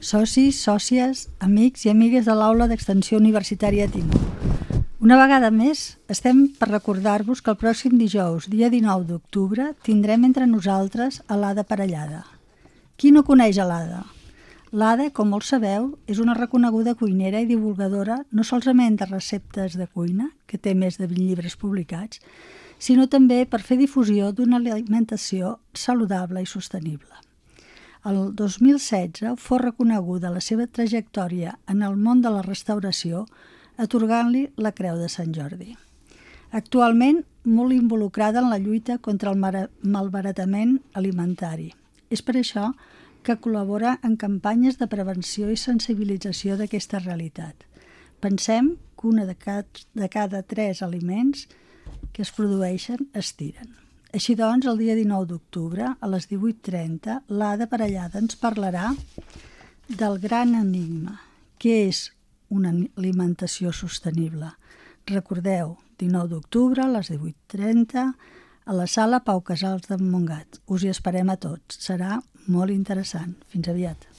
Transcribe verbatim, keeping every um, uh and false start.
Socis, sòcies, amics i amigues de l'Aula d'Extensió Universitària Timó. Una vegada més, estem per recordar-vos que el pròxim dijous, dia dinou d'octubre, tindrem entre nosaltres a l'Ada Parellada. Qui no coneix a l'Ada? L'Ada, com molts sabeu, és una reconeguda cuinera i divulgadora no solament de receptes de cuina, que té més de vint llibres publicats, sinó també per fer difusió d'una alimentació saludable i sostenible. El dos mil setze fou reconeguda la seva trajectòria en el món de la restauració atorgant-li la Creu de Sant Jordi. Actualment, molt involucrada en la lluita contra el malbaratament alimentari. És per això que col·labora en campanyes de prevenció i sensibilització d'aquesta realitat. Pensem que una de cada, de cada tres aliments que es produeixen es tiren. Així doncs, el dia dinou d'octubre, a les divuit trenta, l'Ada Parellada ens parlarà del gran enigma, que és una alimentació sostenible. Recordeu, dinou d'octubre, a les divuit trenta, a la sala Pau Casals de Montgat. Us hi esperem a tots. Serà molt interessant. Fins aviat.